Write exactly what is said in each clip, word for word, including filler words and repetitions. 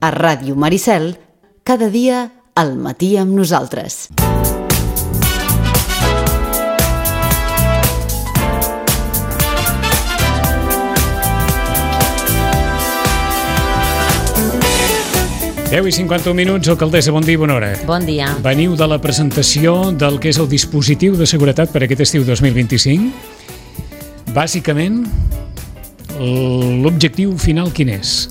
A Ràdio Maricel, cada dia al matí amb nosaltres. deu i cinquanta-un minuts, alcaldessa, bon dia i bona hora. Bon dia. Veniu de la presentació del que és el dispositiu de seguretat per aquest estiu dos mil vint-i-cinc. Bàsicament, l'objectiu final quin és?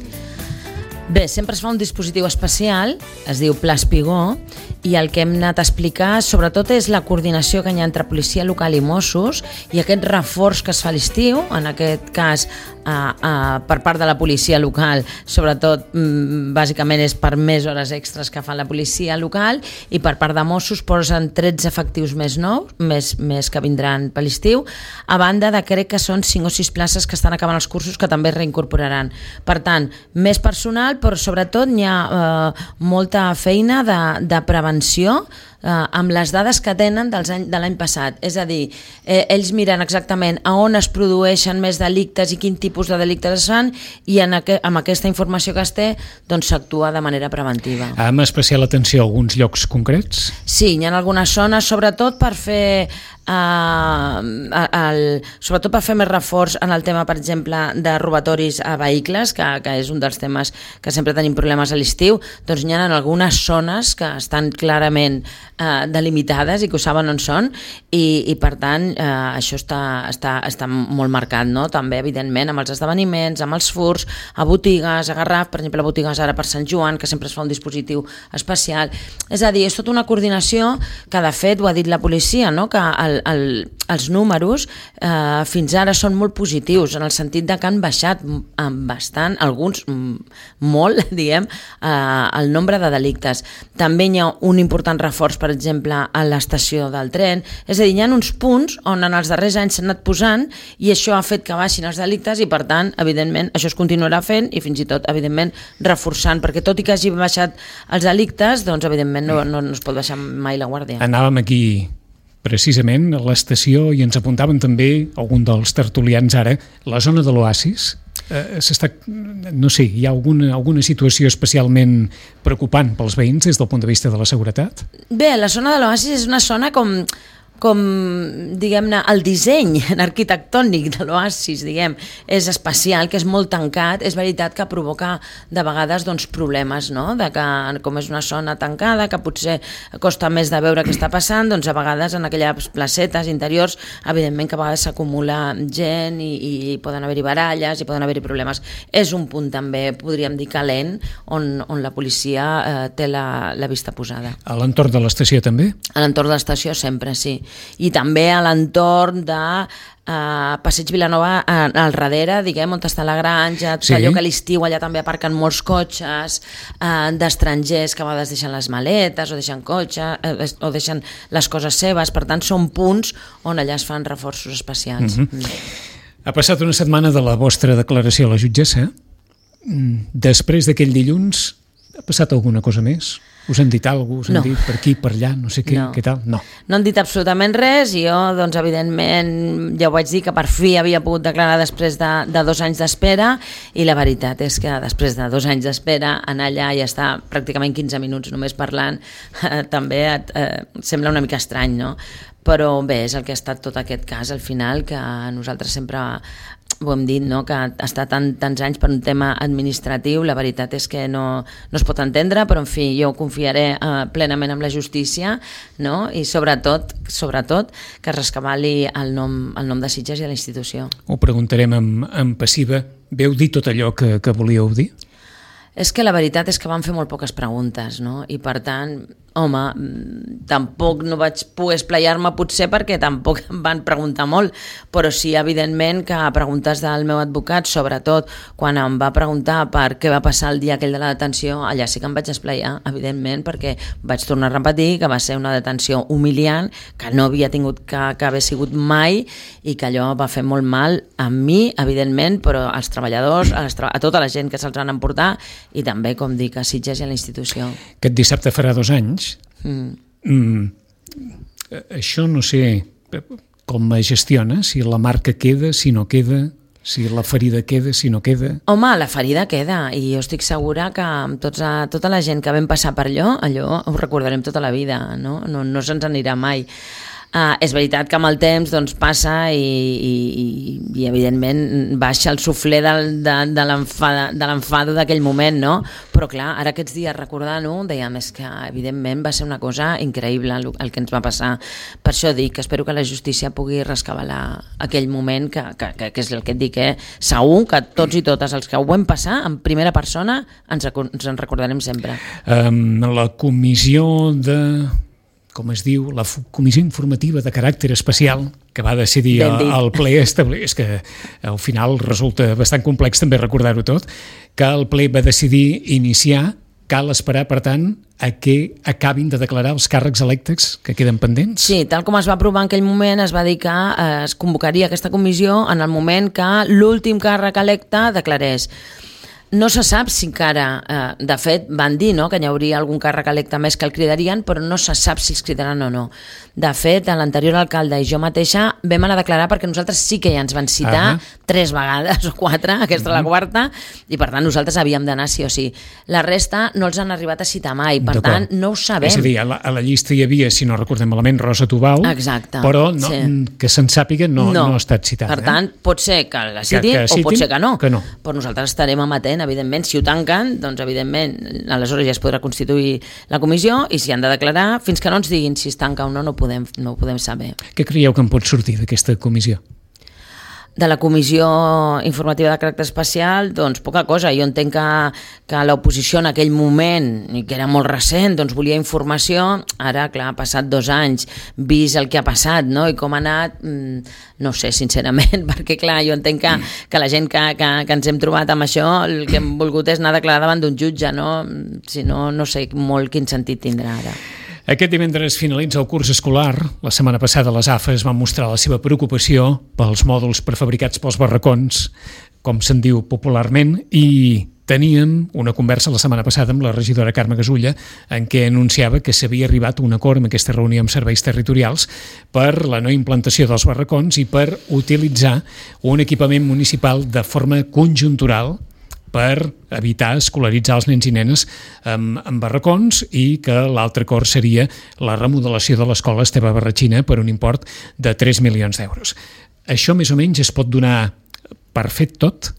Bé, sempre es fa un dispositiu especial, es diu Pla Espigó, i el que hem anat a explicar sobretot és la coordinació que hi ha entre policia local i Mossos i aquest reforç que es fa a l'estiu, en aquest cas a, a, per part de la policia local, sobretot m, bàsicament és per més hores extres que fa la policia local, i per part de Mossos posen tretze efectius més nous, més, més que vindran per l'estiu, a banda de crec que són cinc o sis places que estan acabant els cursos que també es reincorporaran. Per tant, més personal, però sobretot hi ha eh, molta feina de, de prevenció eh, amb les dades que tenen dels any, de l'any passat. És a dir, eh, ells miren exactament a on es produeixen més delictes i quin tipus de delictes es fan, i en aqu amb aquesta informació que es té doncs s'actua de manera preventiva. Amb especial atenció a alguns llocs concrets? Sí, hi ha algunes zones, sobretot per fer Uh, el, sobretot per fer més reforç en el tema, per exemple, de robatoris a vehicles, que, que és un dels temes que sempre tenim problemes a l'estiu. Doncs hi ha en algunes zones que estan clarament uh, delimitades i que ho saben on són, i, i per tant uh, això està, està, està molt marcat, no? També evidentment amb els esdeveniments, amb els furs a botigues, a Garraf, per exemple, a botigues ara per Sant Joan, que sempre es fa un dispositiu especial. És a dir, és tota una coordinació que de fet ho ha dit la policia, no? Que el El, els números eh, fins ara són molt positius, en el sentit de que han baixat bastant, alguns molt, diguem, eh, el nombre de delictes. També hi ha un important reforç, per exemple, a l'estació del tren. És a dir, hi ha uns punts on en els darrers anys s'han anat posant i això ha fet que baixin els delictes i, per tant, evidentment, això es continuarà fent i fins i tot, evidentment, reforçant, perquè tot i que hagi baixat els delictes, doncs, evidentment, no, no, no es pot baixar mai la guàrdia. Anàvem aquí precisament a l'estació i ens apuntaven també algun dels tertulians ara, la zona de l'Oasis. Eh, s'està, no sé, hi ha alguna, alguna situació especialment preocupant pels veïns des del punt de vista de la seguretat? Bé, la zona de l'Oasis és una zona com... com, diguem-ne, el disseny arquitectònic de l'Oasis, diguem, és especial, que és molt tancat. És veritat que provoca de vegades doncs, problemes, no? De que com és una zona tancada, que potser costa més de veure què està passant, doncs a vegades en aquelles placetes interiors, evidentment que a vegades s'acumula gent i, i poden haver-hi baralles i poden haver-hi problemes. És un punt també, podríem dir, calent, on, on la policia eh, té la, la vista posada. A l'entorn de l'estació també? A l'entorn de l'estació sempre, sí. I també a l'entorn de uh, Passeig Vilanova uh, al darrere, diguem, on està la granja, sí. Allò que a l'estiu allà també aparquen molts cotxes uh, d'estrangers que a vegades deixen les maletes o deixen cotxe uh, o deixen les coses seves. Per tant, són punts on allà es fan reforços especials. Mm-hmm. mm. Ha passat una setmana de la vostra declaració a la jutgessa. Després d'aquell dilluns ha passat alguna cosa més? Us han dit alguna cosa? Us han no. dit per aquí, per allà, no sé què, no. què tal? No. No han dit absolutament res i jo, doncs, evidentment, ja ho vaig dir que per fi havia pogut declarar després de, de dos anys d'espera, i la veritat és que després de dos anys d'espera anar allà i estar pràcticament quinze minuts només parlant eh, també et, eh, sembla una mica estrany, no? Però bé, és el que ha estat tot aquest cas al final, que nosaltres sempre ho hem dit, no? Que està tant, tants anys per un tema administratiu, la veritat és que no, no es pot entendre, però en fi, jo confiaré eh, plenament en la justícia, no? I sobretot, sobretot que es rescabali el nom, el nom de Sitges i de la institució. Ho preguntarem en, en passiva. Veu dir tot allò que, que volíeu dir? És que la veritat és que van fer molt poques preguntes, no? I per tant, home, tampoc no vaig poder esplaiar-me potser perquè tampoc em van preguntar molt, però sí, evidentment, que a preguntes del meu advocat, sobretot quan em va preguntar per què va passar el dia aquell de la detenció, allà sí que em vaig esplaiar, evidentment, perquè vaig tornar a repetir que va ser una detenció humiliant, que no havia tingut que, que haver sigut mai, i que allò va fer molt mal a mi, evidentment, però als treballadors, a, les tra a tota la gent que se'ls van emportar, i també, com dic, a Sitges i a la institució. Aquest dissabte farà dos anys. Mm. Mm, això no sé com es gestiona, si la marca queda, si no queda, Si la ferida queda, si no queda... Home, la ferida queda, i jo estic segura que amb tots, tota la gent que vam passar per allò, allò ho recordarem tota la vida, no, no, no se'ns anirà mai. Uh, és veritat que amb el temps doncs, passa i, i, i evidentment baixa el suflé del, de, de l'enfado d'aquell moment, no? Però clar, ara aquests dies recordant-ho dèiem és que evidentment va ser una cosa increïble el, el que ens va passar. Per això dic que espero que la justícia pugui rescabalar aquell moment que, que, que, que és el que et dic, eh? Segur que tots i totes els que ho vam passar en primera persona ens, ens en recordarem sempre. Um, la comissió de... com es diu, la comissió informativa de caràcter especial que va decidir el ple establir, és que al final resulta bastant complex també recordar-ho tot, que el ple va decidir iniciar, cal esperar, per tant, a que acabin de declarar els càrrecs electes que queden pendents? Sí, tal com es va aprovar en aquell moment, es va dir que es convocaria aquesta comissió en el moment que l'últim càrrec electe declarés. No se sap si encara, eh, de fet van dir, no?, que hi hauria algun càrrec electe més que el cridarien, però no se sap si els cridaran o no. De fet, l'anterior alcalde i jo mateixa vam anar a declarar perquè nosaltres sí que ja ens van citar uh-huh. tres vegades o quatre, aquesta uh-huh. la quarta, i per tant nosaltres havíem d'anar sí o sí. La resta no els han arribat a citar mai, per tant no ho sabem. És a dir, a la, a la llista hi havia, si no recordem malament, Rosa Tubau, exacte, però no, sí. que se'n sàpiga no, no. no ha estat citada. Per tant, eh? pot ser que la citin, que, que citin o pot ser que no. que no. Però nosaltres estarem amatent, evidentment. Si ho tanquen, doncs evidentment aleshores ja es podrà constituir la comissió, i si han de declarar, fins que no ens diguin si es tanca o no, no podem, no ho podem saber. Què creieu que en pot sortir d'aquesta comissió? De la comissió informativa de caràcter especial, doncs poca cosa. Jo entenc que, que l'oposició en aquell moment, i que era molt recent, doncs volia informació. Ara, clar, ha passat dos anys, vist el que ha passat, no?, i com ha anat, no sé, sincerament, perquè clar, jo entenc que, que la gent que, que, que ens hem trobat amb això, el que hem volgut és anar a declarar davant d'un jutge, no? Si no, no sé molt quin sentit tindrà ara. Aquest divendres finalitza el curs escolar. La setmana passada les A F Es van mostrar la seva preocupació pels mòduls prefabricats pels barracons, com se'n diu popularment, i teníem una conversa la setmana passada amb la regidora Carme Gasulla en què anunciava que s'havia arribat a un acord en aquesta reunió amb serveis territorials per la no implantació dels barracons i per utilitzar un equipament municipal de forma conjuntural per evitar escolaritzar els nens i nenes amb, amb barracons, i que l'altre acord seria la remodelació de l'escola Esteve Barratxina per un import de tres milions d'euros. Això més o menys es pot donar per fet tot?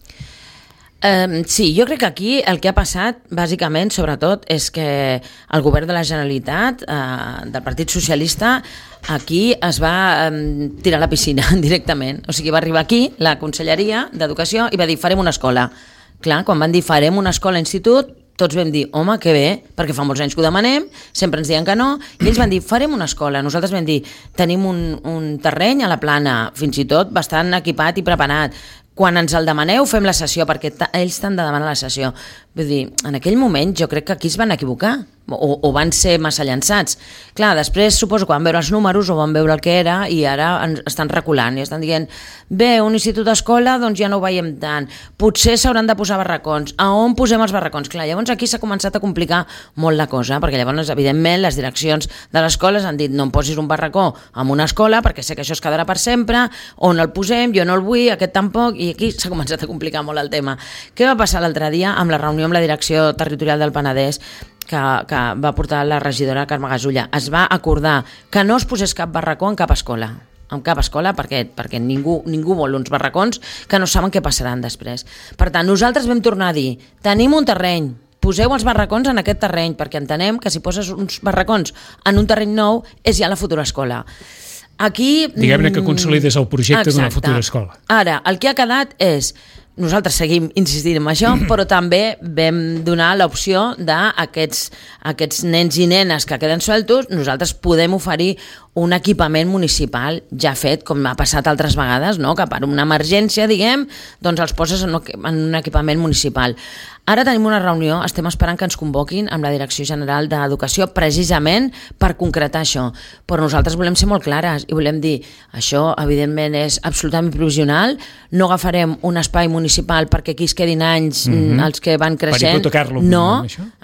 Um, sí, jo crec que aquí el que ha passat, bàsicament, sobretot, és que el govern de la Generalitat, uh, del Partit Socialista, aquí es va um, tirar a la piscina directament. O sigui, va arribar aquí la Conselleria d'Educació i va dir farem una escola. Clar, quan van dir farem una escola-institut, tots vam dir, home, que bé, perquè fa molts anys que ho demanem, sempre ens diuen que no, i ells van dir, farem una escola. Nosaltres vam dir, tenim un, un terreny a la Plana, fins i tot bastant equipat i preparat. Quan ens el demaneu, fem la sessió, perquè ells t'han de demanar la sessió. Vull dir, en aquell moment jo crec que aquí es van equivocar, o, o van ser massa llançats. Clar, després suposo que van veure els números o van veure el que era i ara ens estan reculant i estan dient, bé, un institut d'escola doncs ja no ho veiem tant, potser s'hauran de posar barracons, a on posem els barracons? Clar, llavors aquí s'ha començat a complicar molt la cosa, perquè llavors evidentment les direccions de l'escola han dit no em posis un barracó en una escola perquè sé que això es quedarà per sempre, on el posem, jo no el vull, aquest tampoc, i aquí s'ha començat a complicar molt el tema. Què va passar l'altre dia amb la reunió amb la direcció territorial del Penedès que, que va portar la regidora Carme Gasulla? Es va acordar que no es posés cap barracó en cap escola, en cap escola, perquè, perquè ningú, ningú vol uns barracons que no saben què passaran després. Per tant, nosaltres vam tornar a dir, tenim un terreny, poseu els barracons en aquest terreny, perquè entenem que si poses uns barracons en un terreny nou és ja la futura escola. Aquí... Diguem-ne que consolides el projecte d'una futura escola. Ara, el que ha quedat és... Nosaltres seguim insistint en això, però també vam donar l'opció d'aquests aquests nens i nenes que queden sueltos, nosaltres podem oferir un equipament municipal ja fet, com ha passat altres vegades, no? Que per una emergència, diguem, doncs els poses en un equipament municipal. Ara tenim una reunió, estem esperant que ens convoquin amb la Direcció General d'Educació precisament per concretar això, però nosaltres volem ser molt clares i volem dir, això evidentment és absolutament provisional, no agafarem un espai municipal perquè aquí es quedin anys mm-hmm. els que van creixent, per hipotecar-lo, no,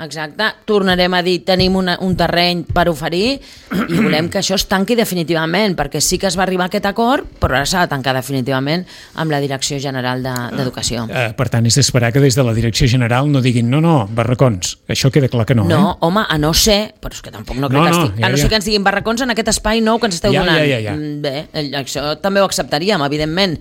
exacte, tornarem a dir tenim una, un terreny per oferir i volem que això es tanqui definitivament, perquè sí que es va arribar a aquest acord, però ara s'ha de tancar definitivament amb la Direcció General d'Educació. Uh, per tant, és d'esperar que des de la Direcció General no diguin, no, no, barracons. Això queda clar que no, no, eh? No, home, a no ser, però és que tampoc no crec no, que estic... No, ja, a no ser ja. que ens diguin barracons en aquest espai nou que ens esteu ja, donant. Ja, ja, ja. Bé, això també ho acceptaríem, evidentment.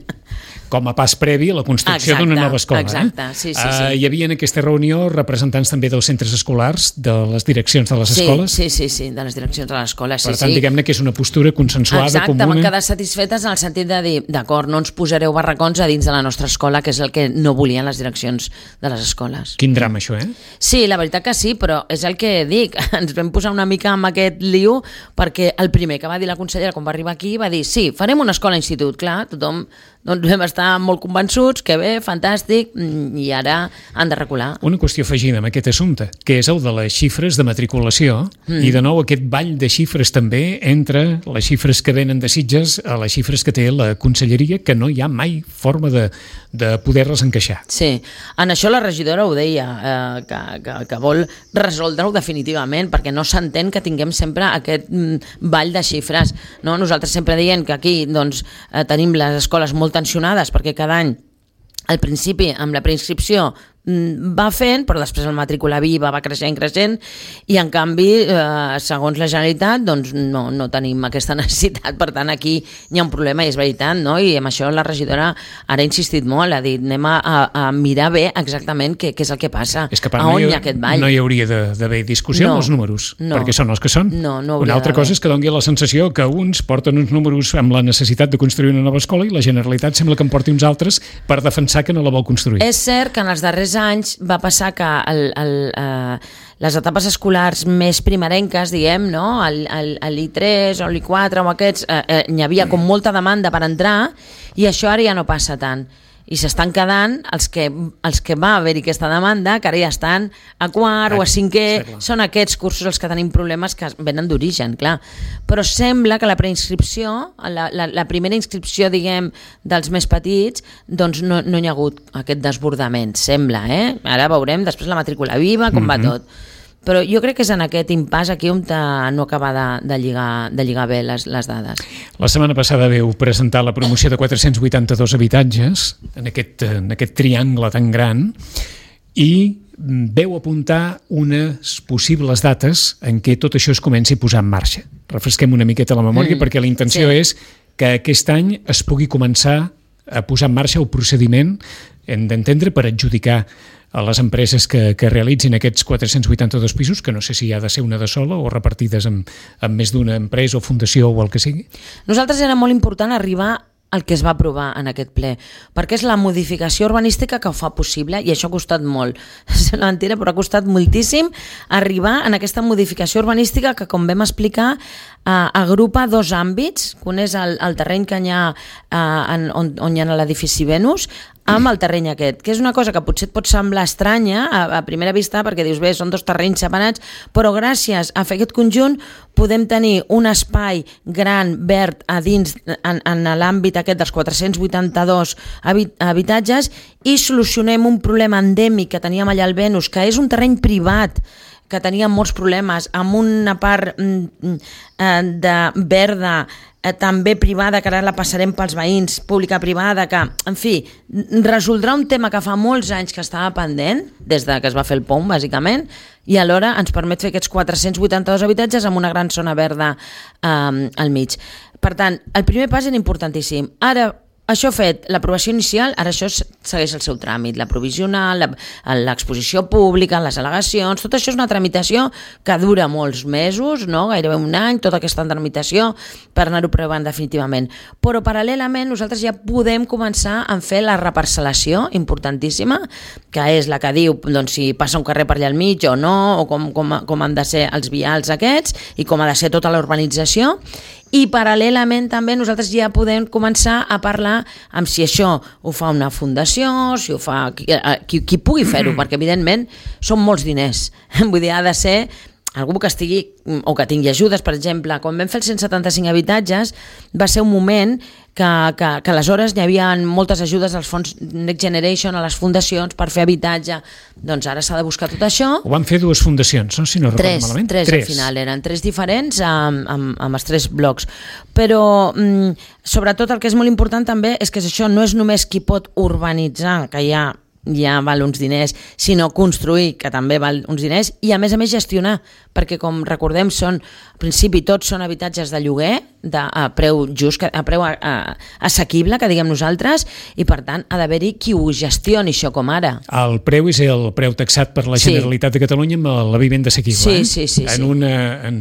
Com a pas previ a la construcció d'una nova escola. Exacte, eh? sí, sí, sí. Uh, hi havia en aquesta reunió representants també dels centres escolars, de les direccions de les sí, escoles? Sí, sí, sí, de les direccions de les escoles, sí, per tant, sí. diguem-ne que és una postura consensuada, exacte, comuna. Exacte, van quedar satisfetes en el sentit de dir, d'acord, no ens posareu barracons a dins de la nostra escola, que és el que no volien les direccions de les escoles. Quin drama, això, eh? Sí, la veritat que sí, però és el que dic, ens vam posar una mica amb aquest liu, perquè el primer que va dir la consellera quan va arribar aquí va dir, sí, farem una escola-institut, clar, tothom doncs vam estar molt convençuts, que bé, fantàstic, i ara han de recular. Una qüestió afegida amb aquest assumpte, que és el de les xifres de matriculació, mm. i de nou aquest ball de xifres també entre les xifres que venen de Sitges a les xifres que té la conselleria, que no hi ha mai forma de, de poder-les encaixar. Sí, en això la regidora ho deia, eh, que, que, que vol resoldre-ho definitivament, perquè no s'entén que tinguem sempre aquest mm, ball de xifres. No? Nosaltres sempre diem que aquí doncs, eh, tenim les escoles molt tensionades perquè cada any al principi amb la preinscripció va fent, però després el matrícula viva va creixent, creixent, i en canvi, eh, segons la Generalitat, doncs no, no tenim aquesta necessitat, per tant aquí hi ha un problema i és veritat, no? I amb això la regidora ara ha insistit molt, ha dit anem a, a mirar bé exactament què, què és el que passa, és que, part, a on no hi, hi ha aquest ball. No hi hauria d'haver discussió no, amb els números, no, perquè són els que són. No, no una altra cosa és que doni la sensació que uns porten uns números amb la necessitat de construir una nova escola i la Generalitat sembla que en porti uns altres per defensar que no la vol construir. És cert que en els darrers anys va passar que el, el, eh, les etapes escolars més primerenques, diguem, no? l'I tres o l'I quatre o aquests, eh, eh, hi havia com molta demanda per entrar i això ara ja no passa tant. I s'estan quedant els que, els que va haver-hi aquesta demanda, que ara ja estan a quart o a cinquè, són aquests cursos els que tenim problemes que venen d'origen, clar. Però sembla que la preinscripció, la, la, la primera inscripció, diguem, dels més petits, doncs no, no hi ha hagut aquest desbordament, sembla, eh? Ara veurem després la matrícula viva, com mm-hmm. va tot. Però jo crec que és en aquest impàs aquí on no acaba de, de, lligar, de lligar bé les, les dades. La setmana passada veu presentar la promoció de quatre-cents vuitanta-dos habitatges en aquest, en aquest triangle tan gran i veu apuntar unes possibles dates en què tot això es comenci a posar en marxa. Refresquem una miqueta la memòria mm, perquè la intenció sí. és que aquest any es pugui començar a posar en marxa el procediment, hem d'entendre, per adjudicar a les empreses que, que realitzin aquests quatre-cents vuitanta-dos pisos, que no sé si ha de ser una de sola o repartides amb, amb més d'una empresa o fundació o el que sigui. Nosaltres era molt important arribar el que es va aprovar en aquest ple, perquè és la modificació urbanística que ho fa possible i això ha costat molt. És una mentira, però ha costat moltíssim arribar en aquesta modificació urbanística que, com vam explicar, eh, agrupa dos àmbits, que un és el, el terreny que hi ha eh, en, on, on hi ha l'edifici Venus, amb el terreny aquest, que és una cosa que potser et pot semblar estranya a, a primera vista, perquè dius, bé, són dos terrenys separats, però gràcies a fer aquest conjunt podem tenir un espai gran, verd, a dins, en, en l'àmbit aquest dels quatre-cents vuitanta-dos habitatges i solucionem un problema endèmic que teníem allà al Venus, que és un terreny privat, que teníem molts problemes, amb una part mm, de verda també privada, que ara la passarem pels veïns, pública-privada, que, en fi, resoldrà un tema que fa molts anys que estava pendent, des de que es va fer el POM, bàsicament, i alhora ens permet fer aquests quatre-cents vuitanta-dos habitatges amb una gran zona verda eh, al mig. Per tant, el primer pas era importantíssim. Ara, això fet, l'aprovació inicial, ara això segueix el seu tràmit, la provisional, l'exposició pública, les al·legacions, tot això és una tramitació que dura molts mesos, no? Gairebé un any, tota aquesta tramitació per anar-ho provant definitivament. Però paral·lelament nosaltres ja podem començar a fer la reparcel·lació importantíssima, que és la que diu doncs, si passa un carrer per allà al mig o no, o com, com, com han de ser els vials aquests i com ha de ser tota la urbanització. I paral·lelament també nosaltres ja podem començar a parlar amb si això ho fa una fundació, si ho fa qui, qui, qui pugui fer-ho, perquè evidentment són molts diners. Vull dir, ha de ser algú que estigui o que tingui ajudes. Per exemple, quan vam fer els cent setanta-cinc habitatges va ser un moment que, que, que aleshores hi havia moltes ajudes als fons Next Generation, a les fundacions per fer habitatge. Doncs ara s'ha de buscar tot això. Ho van fer dues fundacions, no? Si no recordo malament. Tres, tres al final, eren tres diferents amb, amb, amb els tres blocs. Però mm, sobretot el que és molt important també és que això no és només qui pot urbanitzar, que ja ja val uns diners, sinó construir, que també val uns diners, i a més a més gestionar, perquè com recordem són, al principi tots són habitatges de lloguer, de, a preu just, a preu a, a, assequible, que diguem nosaltres, i per tant ha d'haver-hi qui ho gestioni, això com ara. El preu és el preu taxat per la Generalitat sí. de Catalunya amb la vivenda assequible. Sí, eh? sí, sí. En, sí. una, en,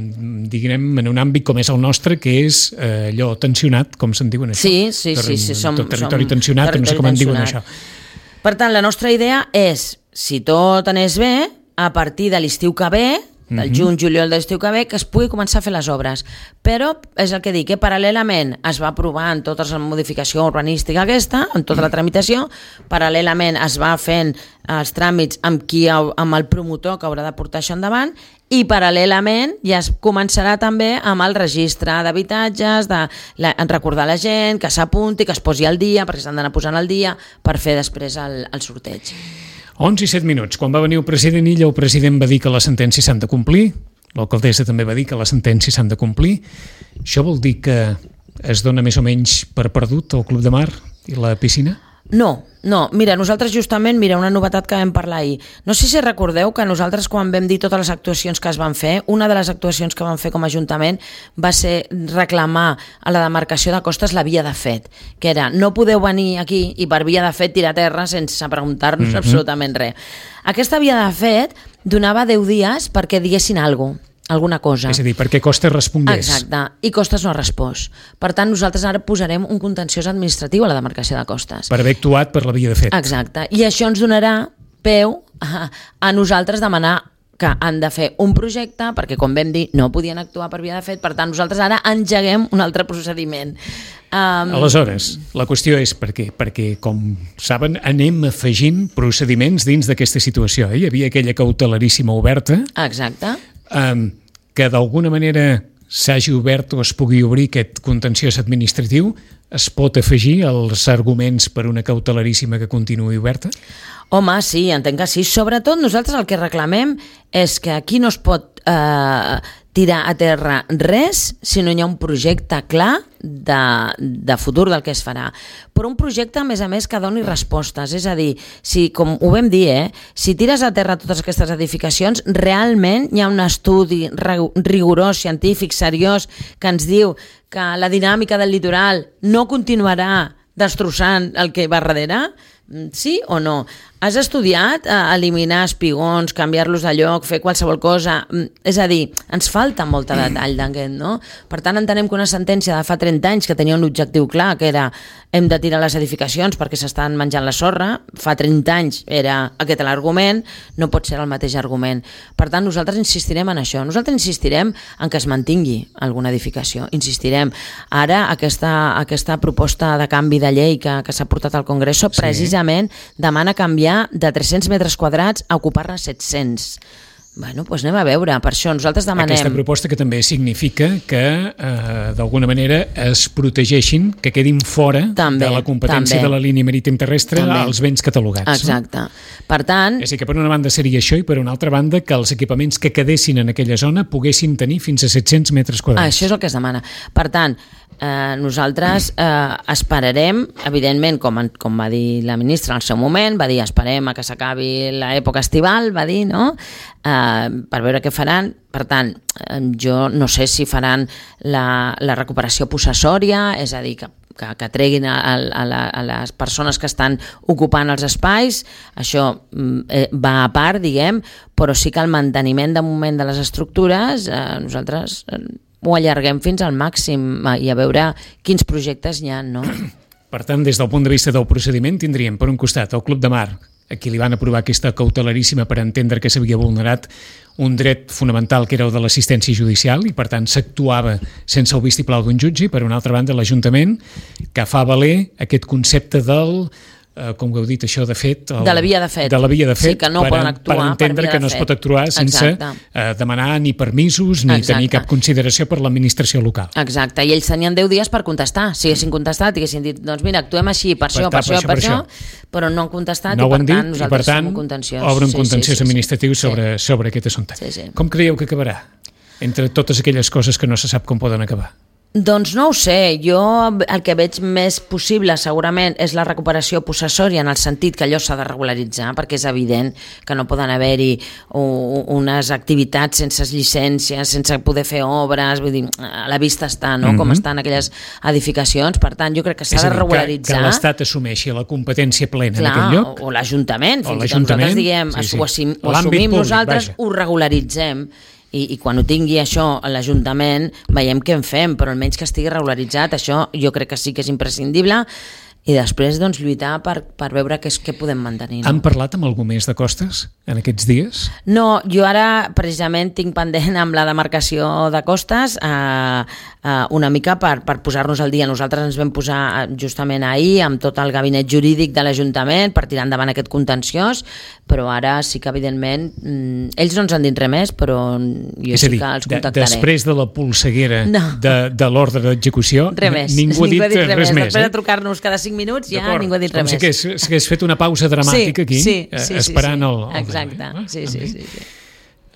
diguem, en un àmbit com és el nostre, que és eh, allò tensionat, com se'n diuen això? Sí, sí, sí. sí som, tot territori som tensionat, territori no sé com en diuen això. Per tant, la nostra idea és, si tot anés bé, a partir de l'estiu que ve, del juny, juliol de l'estiu que ve, que es pugui començar a fer les obres. Però és el que dic, que paral·lelament es va aprovant tota la modificació urbanística aquesta, amb tota la tramitació, paral·lelament es va fent els tràmits amb, qui, amb el promotor que haurà de portar això endavant, i paral·lelament ja es començarà també amb el registre d'habitatges, de la, recordar la gent, que s'apunti, que es posi al dia, perquè s'han d'anar posant al dia per fer després el, el sorteig. onze i set minuts. Quan va venir el president Illa, el president va dir que les sentències s'han de complir, l'alcaldessa també va dir que les sentències s'han de complir. Això vol dir que es dona més o menys per perdut el Club de Mar i la piscina? No, no, mira, nosaltres justament, mira, una novetat que vam parlar ahir. No sé si recordeu que nosaltres quan vam dir totes les actuacions que es van fer, una de les actuacions que vam fer com a Ajuntament va ser reclamar a la demarcació de costes la via de fet, que era no podeu venir aquí i per via de fet tirar terra sense preguntar-nos mm-hmm. absolutament res. Aquesta via de fet donava deu dies perquè diguessin alguna cosa. alguna cosa. És a dir, perquè Costes respongués. Exacte, i Costes no ha respost. Per tant, nosaltres ara posarem un contenciós administratiu a la demarcació de Costes. Per haver actuat per la via de fet. Exacte, i això ens donarà peu a, a nosaltres demanar que han de fer un projecte, perquè com vam dir no podien actuar per via de fet, per tant nosaltres ara engeguem un altre procediment. Um... Aleshores, la qüestió és per què? Perquè, com saben, anem afegint procediments dins d'aquesta situació. Hi havia aquella cautelaríssima oberta. Exacte. Um, que d'alguna manera s'hagi obert o es pugui obrir aquest contenciós administratiu, es pot afegir els arguments per una cautelaríssima que continuï oberta? Home, sí, entenc que sí. Sobretot nosaltres el que reclamem és que aquí no es pot eh, tirar a terra res si no hi ha un projecte clar de, de futur del que es farà. Però un projecte, a més a més, que doni respostes. És a dir, si, com ho vam dir, eh, si tires a terra totes aquestes edificacions, realment hi ha un estudi rigorós, científic, seriós, que ens diu que la dinàmica del litoral no continuarà destrossant el que va darrere? Sí o no? Has estudiat eh, eliminar espigons, canviar-los de lloc, fer qualsevol cosa? És a dir, ens falta molt de detall d'aquest, no? Per tant, entenem que una sentència de fa trenta anys que tenia un objectiu clar, que era hem de tirar les edificacions perquè s'estan menjant la sorra, fa trenta anys era aquest l'argument, no pot ser el mateix argument. Per tant, nosaltres insistirem en això. Nosaltres insistirem en que es mantingui alguna edificació. Insistirem. Ara, aquesta, aquesta proposta de canvi de llei que, que s'ha portat al Congreso, sí. precisament demana canviar de tres-cents metres quadrats a ocupar-ne set-cents. Bueno, doncs anem a veure, per això nosaltres demanem... Aquesta proposta que també significa que eh, d'alguna manera es protegeixin, que quedin fora també, de la competència també. de la línia marítim terrestre també. als béns catalogats. Exacte. No? Per tant... És a dir, que per una banda seria això i per una altra banda que els equipaments que quedessin en aquella zona poguessin tenir fins a set-cents metres quadrats. Això és el que es demana. Per tant, eh, nosaltres eh, esperarem, evidentment, com, com va dir la ministra en el seu moment, va dir esperem a que s'acabi l'època estival, va dir, no?, eh, per veure què faran. Per tant, eh, jo no sé si faran la, la recuperació possessòria, és a dir, que, que, que treguin a, a, la, a les persones que estan ocupant els espais, això eh, va a part, diguem, però sí que el manteniment de moment de les estructures, eh, nosaltres eh, ho allarguem fins al màxim i a veure quins projectes hi ha, no? Per tant, des del punt de vista del procediment, tindríem, per un costat, el Club de Mar, a qui li van aprovar aquesta cautelaríssima per entendre que s'havia vulnerat un dret fonamental que era el de l'assistència judicial i per tant s'actuava sense el vistiplau d'un jutge, i per una altra banda l'Ajuntament que fa valer aquest concepte del Uh, com ho heu dit, això de fet... El, de la via de fet. De la via de fet, sí, que no per, poden actuar per entendre per via que no es pot actuar sense uh, demanar ni permisos ni Exacte. tenir cap consideració per l'administració local. Exacte, i ells tenien deu dies per contestar. Si haguessin contestat i haguessin dit, doncs mira, actuem així, per, per això, per, per això, per, per això, això, però no han contestat no i per dit, tant nosaltres per tant, som un contenciós. obre un sí, contenciós sí, sí, administratiu sí. sobre, sobre aquest assumpte. Sí, sí. Com creieu que acabarà? Entre totes aquelles coses que no se sap com poden acabar. Doncs no ho sé, jo el que veig més possible segurament és la recuperació possessòria en el sentit que allò s'ha de regularitzar, perquè és evident que no poden haver-hi unes activitats sense llicències, sense poder fer obres, vull dir, a la vista està, no?, mm-hmm. com estan aquelles edificacions, per tant jo crec que s'ha de regularitzar. Que, que l'Estat assumeixi la competència plena Clar, en aquell lloc. O, o l'Ajuntament, fins i tot nosaltres diguem, sí, sí. ho, assum, ho assumim públic, nosaltres, vaja. Ho regularitzem. I, i quan ho tingui això a l'Ajuntament veiem què en fem, però almenys que estigui regularitzat, això jo crec que sí que és imprescindible, i després doncs, lluitar per, per veure què, és, què podem mantenir. No? Han parlat amb algú més de Costes en aquests dies? No, jo ara precisament tinc pendent amb la demarcació de Costes eh, eh, una mica per, per posar-nos al dia. Nosaltres ens vam posar justament ahir amb tot el gabinet jurídic de l'Ajuntament per tirar endavant aquest contenciós, però ara sí que evidentment mm, ells no ens han dit res més, però jo és sí dir, que els contactaré. De, després de la polseguera no. de, de l'ordre d'execució, ningú ningú ha dit, ha dit res, res més. Després eh? de trucar-nos cada cinc minuts ja ningú ha dit res més. Com si hagués fet una pausa dramàtica sí, aquí, sí, eh, sí, esperant sí, sí. el... el Exacte, eh? sí, sí, sí, sí.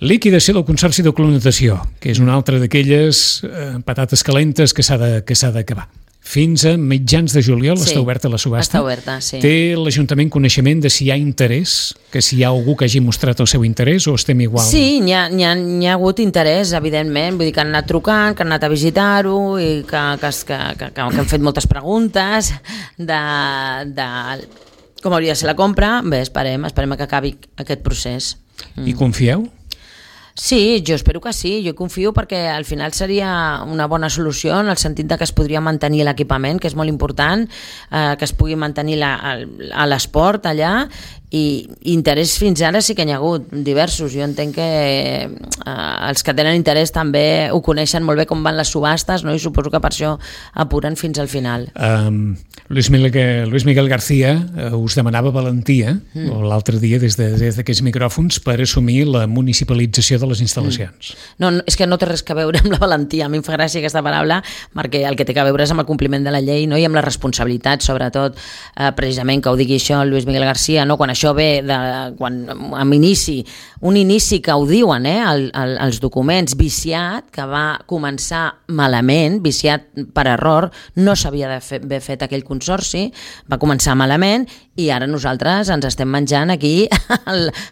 Liquidació del Consorci de Clonació, que és una altra d'aquelles eh, patates calentes que s'ha de, que s'ha d'acabar. Fins a mitjans de juliol sí, està oberta la subhasta. Està oberta, sí. Té l'Ajuntament coneixement de si hi ha interès, que si hi ha algú que hagi mostrat el seu interès, o estem igual? Sí, n'hi ha, n'hi ha, n'hi ha hagut interès, evidentment, vull dir que han anat trucant, que han anat a visitar-ho i que, que, que, que, que han fet moltes preguntes de, de com hauria de ser la compra. Bé, esperem, esperem que acabi aquest procés. I confieu? Sí, jo espero que sí, jo confio perquè al final seria una bona solució en el sentit de que es podria mantenir l'equipament, que és molt important, eh, que es pugui mantenir la, a l'esport allà, i interès fins ara sí que n'hi ha hagut diversos. Jo entenc que eh, els que tenen interès també ho coneixen molt bé com van les subhastes, no? I suposo que per això apuren fins al final. Um, Luis Miguel, Luis Miguel García uh, us demanava valentia mm. l'altre dia des, de, des d'aquests micròfons per assumir la municipalització de les instal·lacions. Mm. No, no, és que no té res que veure amb la valentia. A mi em fa gràcia aquesta paraula perquè el que té que veure és amb el compliment de la llei, no? I amb la responsabilitat, sobretot, eh, precisament que ho digui això Luis Miguel García, no? Quan això ve de, quan, amb inici, un inici que ho diuen eh, el, el, els documents, viciat, que va començar malament, viciat per error, no s'havia d'haver fet aquell consorci, va començar malament i ara nosaltres ens estem menjant aquí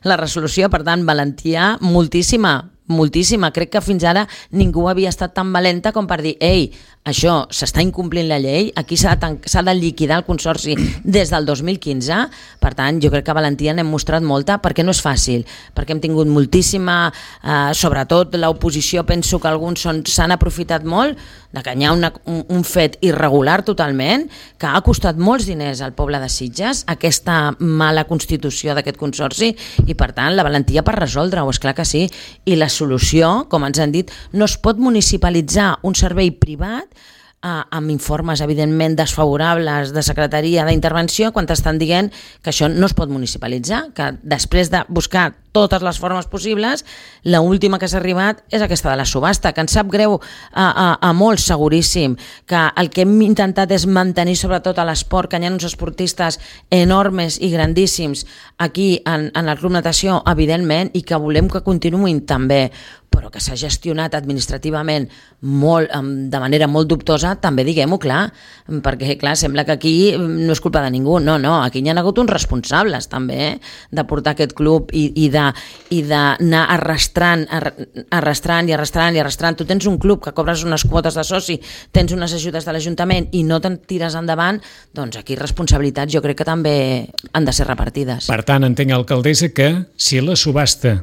la resolució, per tant, valentia moltíssima, moltíssima. Crec que fins ara ningú havia estat tan valenta com per dir, ei, això s'està incomplint la llei, aquí s'ha de, s'ha de liquidar el consorci des del dos mil quinze, per tant jo crec que valentia n'hem mostrat molta, perquè no és fàcil, perquè hem tingut moltíssima, eh, sobretot l'oposició, penso que alguns són, s'han aprofitat molt de que hi ha una, un, un fet irregular totalment, que ha costat molts diners al poble de Sitges, aquesta mala constitució d'aquest consorci, i per tant la valentia per resoldre-ho, és clar que sí, i la solució, com ens han dit, no es pot municipalitzar un servei privat Uh, amb informes evidentment desfavorables de secretaria d'intervenció quan t'estan dient que això no es pot municipalitzar, que després de buscar totes les formes possibles, la última que s'ha arribat és aquesta de la subhasta, que ens sap greu a, a, a molts, seguríssim, que el que hem intentat és mantenir sobretot a l'esport, que hi ha uns esportistes enormes i grandíssims aquí en, en el Club Natació, evidentment, i que volem que continuïn també, però que s'ha gestionat administrativament molt, de manera molt dubtosa, també diguem-ho clar, perquè clar, sembla que aquí no és culpa de ningú, no, no, aquí hi ha hagut uns responsables també, eh, de portar aquest club i, i de i d'anar arrastrant, arrastrant i arrastrant i arrastrant. Tu tens un club que cobres unes quotes de soci, tens unes ajudes de l'Ajuntament i no te'n tires endavant, doncs aquí responsabilitats jo crec que també han de ser repartides. Per tant, entenc, alcaldessa, que si la subhasta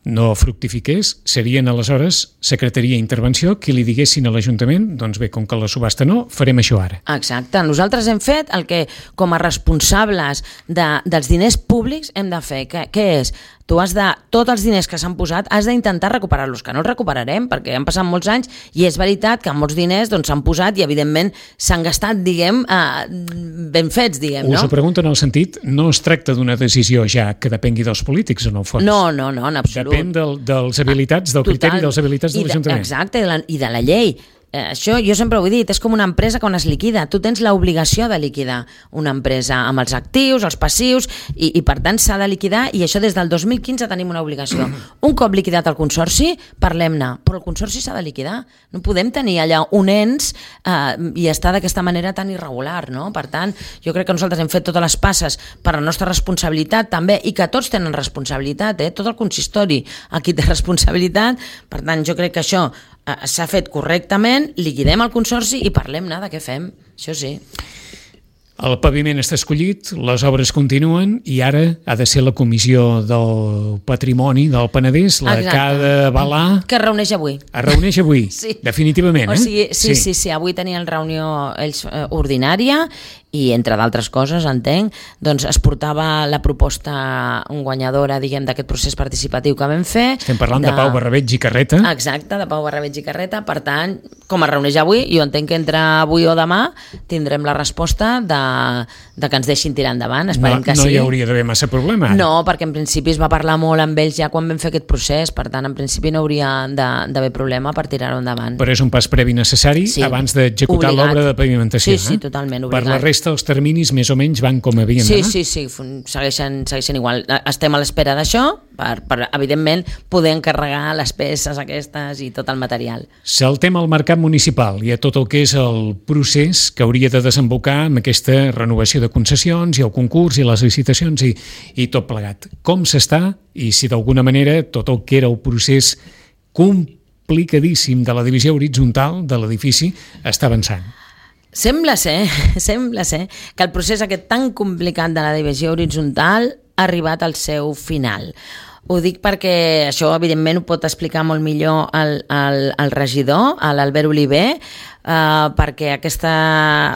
no fructifiqués, serien aleshores Secretaria d'Intervenció qui li diguessin a l'Ajuntament, doncs bé, com que la subhasta no, farem això ara. Exacte, nosaltres hem fet el que com a responsables de, dels diners públics hem de fer, que, que és Tu has de, tots els diners que s'han posat, has d'intentar recuperar-los, que no els recuperarem, perquè han passat molts anys i és veritat que molts diners doncs, s'han posat i, evidentment, s'han gastat, diguem, eh, ben fets, diguem, no? Us ho pregunto en el sentit, no es tracta d'una decisió ja que depengui dels polítics, en el fons. No, no, no, en absolut. Depèn del, dels habilitats, del Total. criteri dels habilitats de l'Ajuntament. Exacte, i de la, i de la llei. Eh, això jo sempre ho he dit, és com una empresa quan es liquida. Tu tens l'obligació de liquidar una empresa amb els actius, els passius, i, i per tant s'ha de liquidar, i això des del dos mil quinze tenim una obligació. Un cop liquidat el consorci, parlem-ne, però el consorci s'ha de liquidar. No podem tenir allà un ens eh, i estar d'aquesta manera tan irregular, no? Per tant, jo crec que nosaltres hem fet totes les passes per la nostra responsabilitat també, i que tots tenen responsabilitat, eh? Tot el consistori aquí té responsabilitat. Per tant, jo crec que això eh, s'ha fet correctament, liquidem el consorci i parlem-ne de què fem, això sí. El paviment està escollit, les obres continuen i ara ha de ser la Comissió del Patrimoni del Penedès la Exacte. que ha d'avalar... Que es reuneix avui. Es reuneix avui, Sí. definitivament, O eh? sigui, sí, sí, sí, sí, avui tenien reunió ells eh, ordinària i, entre d'altres coses, entenc, doncs es portava la proposta guanyadora, diguem, d'aquest procés participatiu que vam fer. Estem parlant de, de Pau Barrabeig i Carreta. Exacte, de Pau Barrabeig i Carreta. Per tant, com es reuneix avui, jo entenc que entre avui o demà tindrem la resposta de, de que ens deixin tirar endavant. Esperem no, que no sí. hi hauria d'haver massa problema. Ara. No, perquè en principi es va parlar molt amb ells ja quan vam fer aquest procés, per tant, en principi no hauria d'haver problema per tirar-ho endavant. Però és un pas previ necessari Sí. abans d'executar Obligat. l'obra de pavimentació. Sí, sí, eh? totalment, obligat. Per la resta, els terminis més o menys van com havien Sí, d'anar. sí, sí, fun- segueixen, segueixen igual. Estem a l'espera d'això per, per, evidentment, poder encarregar les peces aquestes i tot el material. Saltem al mercat municipal i a tot el que és el procés que hauria de desembocar amb aquesta renovació de concessions i el concurs i les licitacions i, i tot plegat. Com s'està i si d'alguna manera tot el que era el procés complicadíssim de la divisió horitzontal de l'edifici està avançant? Sembla ser, sembla ser que el procés aquest tan complicat de la divisió horitzontal ha arribat al seu final. Ho dic perquè això, evidentment, ho pot explicar molt millor el, el, el regidor, l'Albert Oliver, Uh, perquè aquesta,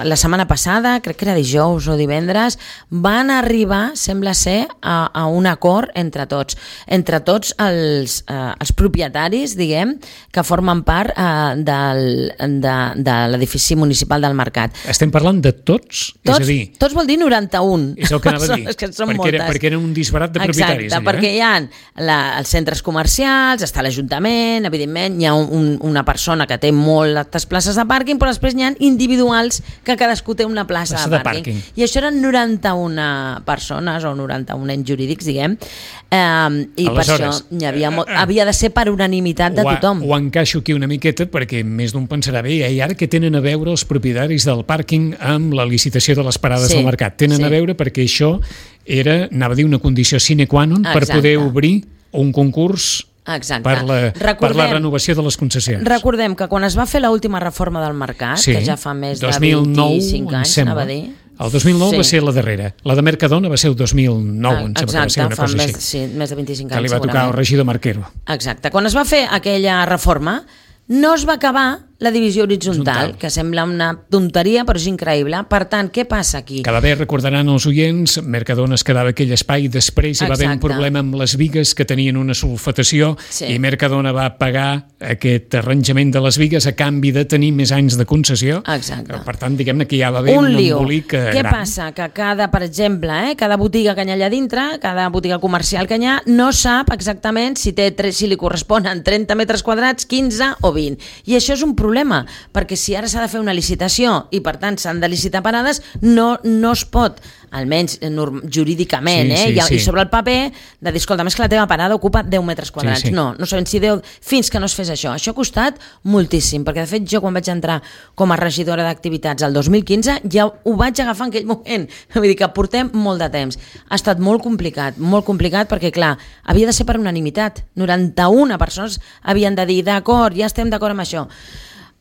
la setmana passada, crec que era dijous o divendres, van arribar, sembla ser, a, a un acord entre tots, entre tots els, uh, els propietaris, diguem, que formen part uh, del, de, de l'edifici municipal del Mercat. Estem parlant de tots? Tots, és a dir, tots vol dir noranta-un. és el que anava a dir, que són perquè, era, perquè era un disbarat de propietaris. Exacte, allà, perquè eh? hi ha la, els centres comercials, està l'Ajuntament, evidentment, hi ha un, una persona que té moltes places de pàrquing, però després n'hi ha individuals que cadascú té una plaça, plaça de, de pàrquing. pàrquing. I això eren noranta-una persones o noranta-un ens jurídics, diguem, eh, i Aleshores, per això hi havia, molt, havia de ser per unanimitat de Ho, tothom. ho encaixo aquí una miqueta perquè més d'un pensarà bé, i ara que tenen a veure els propietaris del pàrquing amb la licitació de les parades Sí, del mercat? Tenen sí. a veure perquè això era, anava a dir, una condició sine qua non per Exacte. poder obrir un concurs Exacte. per la, Recordem, per la renovació de les concessions. Recordem que quan es va fer l'última reforma del mercat, Sí, que ja fa més dos de mil nou, vint-i-cinc em anys, sembla. anava a dir. El dos mil nou Sí. va ser la darrera. La de Mercadona va ser el dos mil nou, em sembla que va ser Exacte, una fa cosa més, així. sí, més de vint-i-cinc Que anys. li va tocar al segurament. regidor Marquero. Exacte. Quan es va fer aquella reforma, no es va acabar la divisió horitzontal, Horitzontal. que sembla una tonteria, però és increïble. Per tant, què passa aquí? Cada vegada recordaran els oients, Mercadona es quedava aquell espai, després hi va haver un Exacte. problema amb les vigues que tenien una sulfatació Sí. i Mercadona va pagar aquest arranjament de les vigues a canvi de tenir més anys de concessió. Exacte. Per tant, diguem-ne que ja va haver Un un, lío. embolic eh, Què gran. passa? Que cada, per exemple, eh, cada botiga que hi ha allà dintre, cada botiga comercial que hi ha, no sap exactament si, té, tres- si li corresponen trenta metres quadrats, quinze o vint. I això és un problema, perquè si ara s'ha de fer una licitació i per tant s'han de licitar parades, no, no es pot, almenys norm, jurídicament, Sí, eh, sí, i, sí. i sobre el paper, de dir, escolta, més que la teva parada ocupa deu metres quadrats. Sí, sí. No, no sabem si deu, fins que no es fes això. Això ha costat moltíssim, perquè de fet jo quan vaig entrar com a regidora d'activitats el dos mil quinze ja ho vaig agafar en aquell moment. Vull dir que portem molt de temps. Ha estat molt complicat, molt complicat perquè, clar, havia de ser per unanimitat. noranta-una persones havien de dir, d'acord, ja estem d'acord amb això.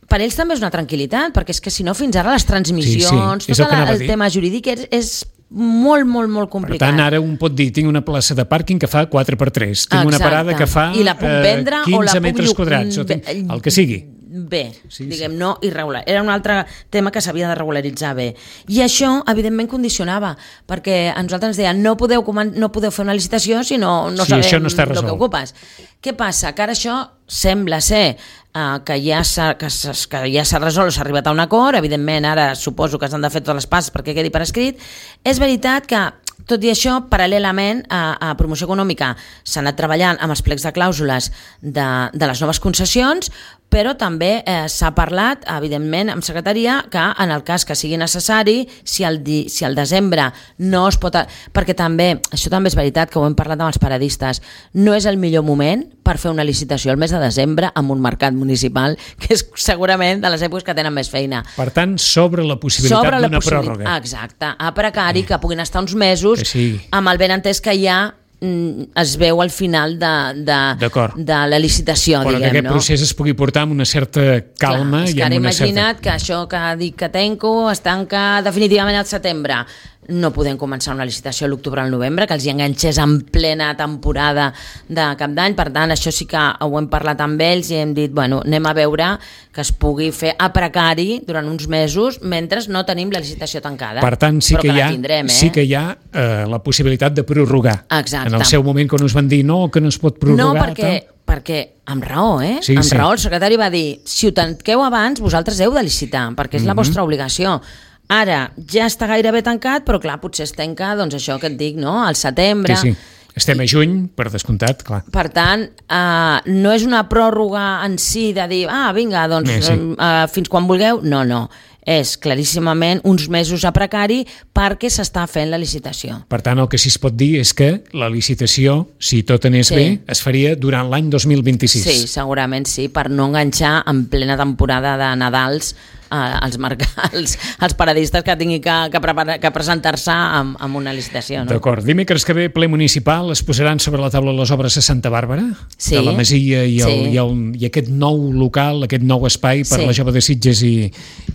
Per ells també és una tranquil·litat, perquè és que si no fins ara les transmissions, Sí, sí, és el tot que el, anava a el dir. tema jurídic és, és molt, molt, molt Per complicat. tant, ara un pot dir, tinc una plaça de pàrquing que fa quatre per tres, tinc una Exacte. parada que fa I la puc eh, vendre o la quinze puc metres llu- quadrats, o tinc, el que sigui. bé, sí, diguem, sí. no irregular. Era un altre tema que s'havia de regularitzar bé. I això, evidentment, condicionava, perquè a nosaltres ens deien no podeu, no podeu fer una licitació si no, no sí, sabem no el que ocupes. Què passa? Que ara això sembla ser uh, que ja s'ha que que ja s'ha resolt, s'ha arribat a un acord, evidentment ara suposo que s'han de fer totes les passes perquè quedi per escrit. És veritat que tot i això, paral·lelament a, a promoció econòmica s'ha anat treballant amb els plecs de clàusules de, de les noves concessions, però també eh, s'ha parlat, evidentment, amb secretaria, que en el cas que sigui necessari, si el, di, si el desembre no es pot... Perquè també, això també és veritat, que ho hem parlat amb els paradistes, no és el millor moment per fer una licitació el mes de desembre amb un mercat municipal, que és segurament de les èpoques que tenen més feina. Per tant, sobre la possibilitat d'una pròrroga. Exacte, a precari, que puguin estar uns mesos sí. amb el benentès que hi ha es veu al final de, de, de la licitació, però diguem, que aquest no? procés es pugui portar amb una certa calma. Clar, és i que ara amb una imagina't certa... que això que dic que tanco es tanca definitivament al setembre. No podem començar una licitació a l'octubre o al novembre, que els hi enganxés en plena temporada de cap d'any. Per tant, això sí que ho hem parlat amb ells i hem dit, bueno, anem a veure que es pugui fer a precari durant uns mesos mentre no tenim la licitació tancada. Per tant, sí que, que hi ha, tindrem, eh? sí que hi ha eh, la possibilitat de prorrogar. Exacte. En el seu moment, quan us van dir no, que no es pot prorrogar... No, perquè... perquè amb raó, eh? Sí, amb sí. raó, el secretari va dir si ho tanqueu abans, vosaltres heu de licitar, perquè és mm-hmm. la vostra obligació. Ara ja està gairebé tancat, però clar, potser es tanca, doncs això que et dic, no? Al setembre... Sí, sí. Estem a juny, per descomptat, clar. Per tant, eh, no és una pròrroga en si de dir, ah, vinga, doncs eh, sí. eh, fins quan vulgueu. No, no. És claríssimament uns mesos a precari perquè s'està fent la licitació. Per tant, el que sí es pot dir és que la licitació, si tot anés sí. bé, es faria durant l'any dos mil vint-i-sis. Sí, segurament sí, per no enganxar en plena temporada de Nadals als mercats, als paradistes que tinguin que, que, prepara, que presentar-se amb, amb una licitació. No? D'acord. Dimecres que ve, ple municipal, es posaran sobre la taula les obres a Santa Bàrbara, sí. de la Masia i, el, sí. i, el, i aquest nou local, aquest nou espai per sí. la Jove de Sitges i,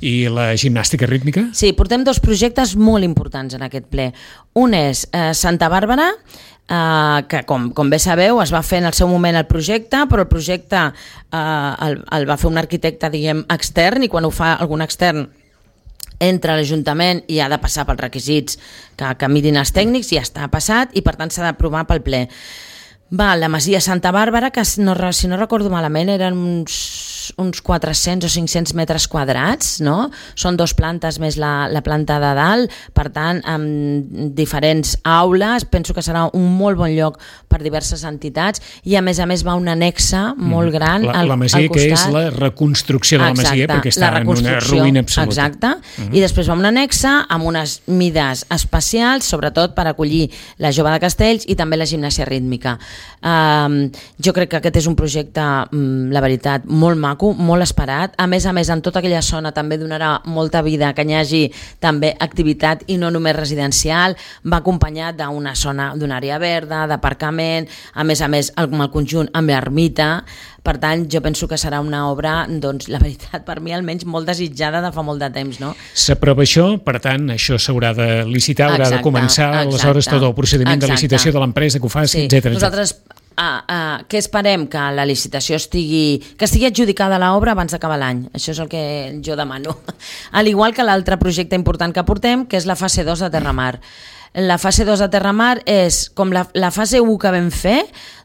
i la gimnàstica rítmica? Sí, portem dos projectes molt importants en aquest ple. Un és eh, Santa Bàrbara, Uh, que com, com bé sabeu es va fer en el seu moment el projecte, però el projecte uh, el, el va fer un arquitecte, diguem, extern, i quan ho fa algun extern entra a l'Ajuntament i ha de passar pels requisits que, que mirin els tècnics, i ja està passat i per tant s'ha d'aprovar pel ple. Va, la Masia Santa Bàrbara, que no, si no recordo malament eren uns, uns quatre-cents o cinc-cents metres quadrats, no? Són dos plantes més la, la planta de dalt, per tant, amb diferents aules, penso que serà un molt bon lloc per diverses entitats, i a més a més va un anexa molt gran la, al, la Masia, al costat. Que és la reconstrucció de la Exacte, Masia, perquè està en una ruïna absoluta. Exacte, uh-huh. i després va un anexa amb unes mides especials, sobretot per acollir la Jove de Castells i també la gimnàsia rítmica. Um, jo crec que aquest és un projecte, um, la veritat, molt maco, molt esperat. A més a més, en tota aquella zona també donarà molta vida, que hi hagi també activitat i no només residencial. Va acompanyat d'una zona, d'una àrea verda, d'aparcament, a més a més el, el conjunt amb l'ermita. Per tant, jo penso que serà una obra, doncs, la veritat, per mi almenys molt desitjada de fa molt de temps, no? S'aprova això, per tant, això s'haurà de licitar, haurà exacte, de començar, exacte, aleshores tot el procediment exacte. de licitació de l'empresa que ho faci, sí. etcètera. Nosaltres Ah, ah, què esperem? Que la licitació estigui, que estigui adjudicada l'obra abans d'acabar l'any. Això és el que jo demano. Al igual que l'altre projecte important que portem, que és la fase dos de Terramar. La fase dos de Terramar és com la, la fase u que vam fer,